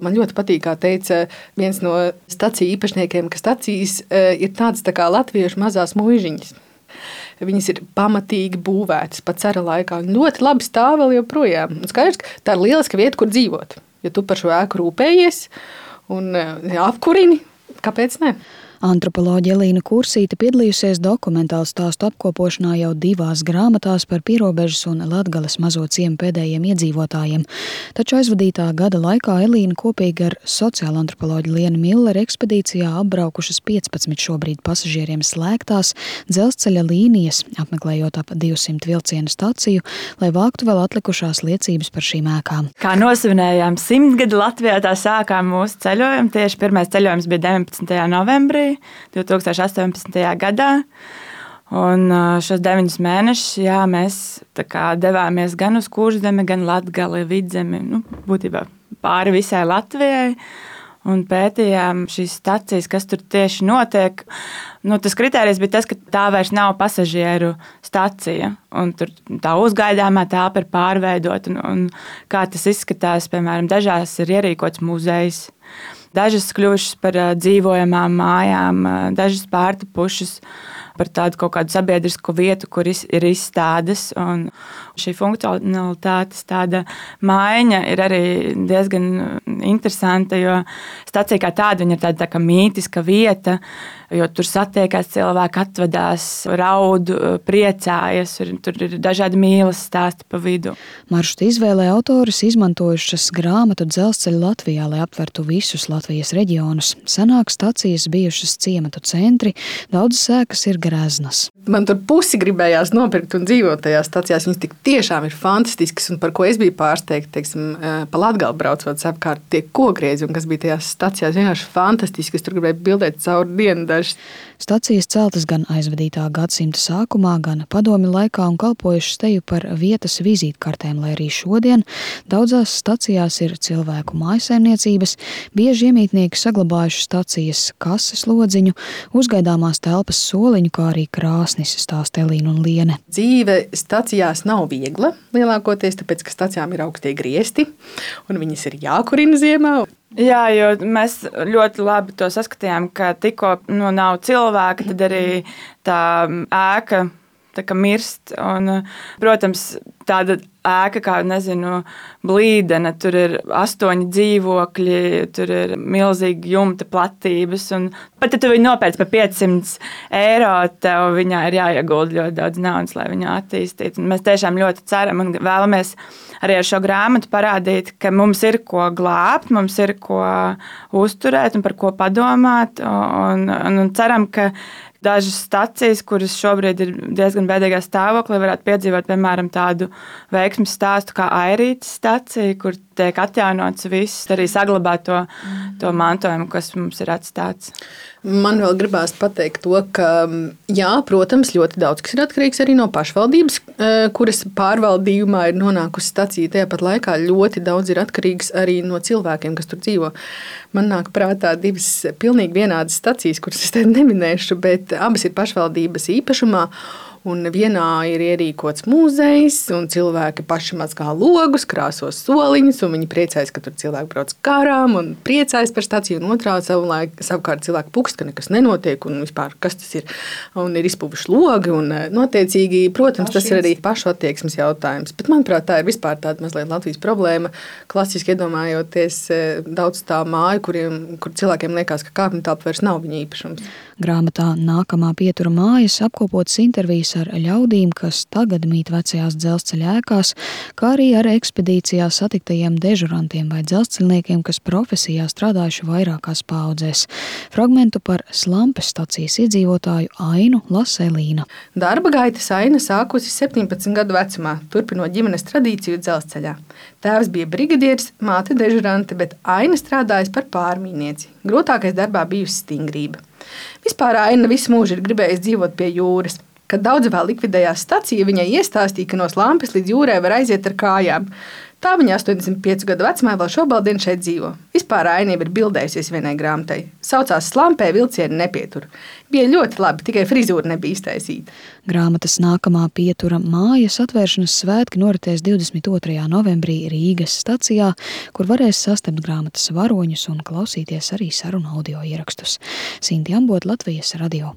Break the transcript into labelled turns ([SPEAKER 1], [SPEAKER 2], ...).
[SPEAKER 1] Man ļoti patīk, kā teica viens no staciju īpašniekiem, ka stacijas ir tādas tā kā latviešu mazās muižiņas. Viņas ir pamatīgi būvētas pat cara laikā un ļoti labi stāv vēl joprojām. Un skaidrs, ka tā ir lieliska vieta, kur dzīvot. Ja tu par šo ēku rūpējies un apkurini, kāpēc ne?
[SPEAKER 2] Antropoloģe Elīna Kursīte piedalījusies dokumentālu stāstu apkopošanā jau 2 grāmatās par Pierobežas un Latgales mazo ciemu pēdējiem iedzīvotājiem. Taču aizvadītā gada laikā Elīna kopīgi ar sociālo antropoloģu Lienu Milleru ekspedīcijā apbraukušas 15 šobrīd pasažieriem slēgtās dzelzceļa līnijas, apmeklējot ap 200 vilcienu staciju, lai vāktu vēl atlikušās liecības par šīm ēkām.
[SPEAKER 3] Kā nosvinējām 100 gadu Latvijā, tā sākām mūsu ceļojumu. Tieši pirmais ceļojums bija 19. novembrī. 2018. gadā. Un šos 9 mēnešus mēs devāmies gan uz Kurzemi, gan Latgali, Vidzemi, būtībā pāri visai Latvijai. Un pētījām šīs stacijas, kas tur tieši notiek. Tas kritērijs bija tas, ka tā vairs nav pasažieru stacija. Un tur tā uzgaidāmā telpa ir pārveidota. Un kā tas izskatās, piemēram, dažās ir ierīkots muzejs. Dažas kļuvušas par dzīvojamām mājām, dažas pārtapušas par tādu kaut kādu sabiedrisku vietu, kur ir izstādes. Un šī funkcionalitātes tāda maiņa ir arī diezgan interesanta, jo stacija kā tāda ir tāda tā kā mītiska vieta, jo tur satiekās cilvēki, atvadās, raud, priecājas, tur ir dažādi mīlas stāsti pa vidu.
[SPEAKER 2] Maršruta izvēlē autoris izmantojušas grāmatu Dzelzceļa Latvijā, lai aptvertu visus Latvijas reģionus. Senāk stacijas bijušas ciematu centri, daudzas ēkas ir greznas.
[SPEAKER 1] Man tur pusi gribējās nopirkt un dzīvot tajās stacijās. Viņas tik tiešām ir fantastiskas, un par ko es biju pārsteigta, teiksim, pa Latgali braucot apkārt tie kokgriezi, un kas bija tajās stacijās vienkārši fantastiski. Es tur gribēju bildēt cauri dienu dažas.
[SPEAKER 2] Stacijas celtas gan aizvadītā gadsimta sākumā, gan padomju laikā un kalpojušas teju par vietas vizītkartēm, lai arī šodien daudzās stacijās ir cilvēku mājsaimniecības, bieži iemītnieki saglabājuši stacijas kases lodziņu, uzgaidāmās telpas soliņu, kā arī krāsnis, stāsta Elīna un Liene.
[SPEAKER 1] Dzīve stacijās nav viegla lielākoties, tāpēc, ka stacijām ir augstie griesti un viņas ir jākurina ziemā.
[SPEAKER 3] Jā, jo mēs ļoti labi to saskatījām, ka tikko nav cilvēka, tad arī tā ēka mirst. Un, protams, tāda ēka kā, Blīdene, tur ir 8 dzīvokļi, tur ir milzīgi jumta platības. Un pat ja tu viņu nopērc par 500 eiro, tev viņā ir jāiegulda ļoti daudz naudas, lai viņu attīstītu. Un mēs tiešām ļoti ceram un vēlamies arī ar šo grāmatu parādīt, ka mums ir ko glābt, mums ir ko uzturēt un par ko padomāt. Un ceram, ka dažas stacijas, kuras šobrīd ir diezgan bēdīgā stāvoklī, varētu piedzīvot, piemēram, tādu veiksmes stāstu kā Airītes stacija, kur tiek atjaunots viss, arī saglabāt to mantojumu, kas mums ir atstāts.
[SPEAKER 1] Man vēl gribās pateikt to, ka, jā, protams, ļoti daudz kas ir atkarīgs arī no pašvaldības, kuras pārvaldījumā ir nonākusi stacija. Tajāpat laikā ļoti daudz ir atkarīgs arī no cilvēkiem, kas tur dzīvo. Man nāk prātā 2 pilnīgi vienādas stacijas, kuras es te neminēšu, bet abas ir pašvaldības īpašumā. Un vienā ir ierīkots muzejs, un cilvēki paši mazgā logus, krāsos soliņus, un viņi priecājas, ka tur cilvēki brauc garām un priecājas par staciju, un otrā savukārt cilvēki pukst, ka nekas nenotiek, un vispār kas tas ir, un ir izpuvuši logi, un notiecīgi, protams, tas ir arī pašu attieksmes jautājums. Bet, manuprāt, tā ir vispār tāda mazliet Latvijas problēma, klasiski iedomājoties daudz tā māju, kur cilvēkiem liekas, ka kāpņu telpa vairs nav viņa īpašums.
[SPEAKER 2] Grāmatā Nākamā pietura mājas apkopotas intervijas ar ļaudīm, kas tagad mīt vecajās dzelzceļa ēkās, kā arī ar ekspedīcijā satiktajiem dežurantiem vai dzelzceļniekiem, kas profesijā strādājuši vairākās paaudzēs. Fragmentu par Slampes stacijas iedzīvotāju Ainu lasa Elīna.
[SPEAKER 1] Darba gaitas Aina sākusi 17 gadu vecumā, turpinot ģimenes tradīciju dzelzceļā. Tēvs bija brigadieris, māte dežurante, bet Aina strādājas par pārmīnieci. Grūtākais darbā bijusi stingrība. Vispār Aina visu mūžu ir gribējusi dzīvot pie jūras. Kad daudz vēl likvidējās stacija, viņai iestāstīja, ka no Slampes līdz jūrai var aiziet ar kājām. Tā viņa 85 gadu vecumā vēl šobaldien šeit dzīvo. Vispār Ainība ir bildējusies vienai grāmatai. Saucās Slampē vilcieni nepietur. Bija ļoti labi, tikai frizūra nebija iztaisīta.
[SPEAKER 2] Grāmatas nākamā pietura mājas atvēršanas svētki noritēs 22. novembrī Rīgas stacijā, kur varēs sastapt grāmatas varoņus un klausīties arī sarunu audio ierakstus. Sinti Ambot, Latvijas radio.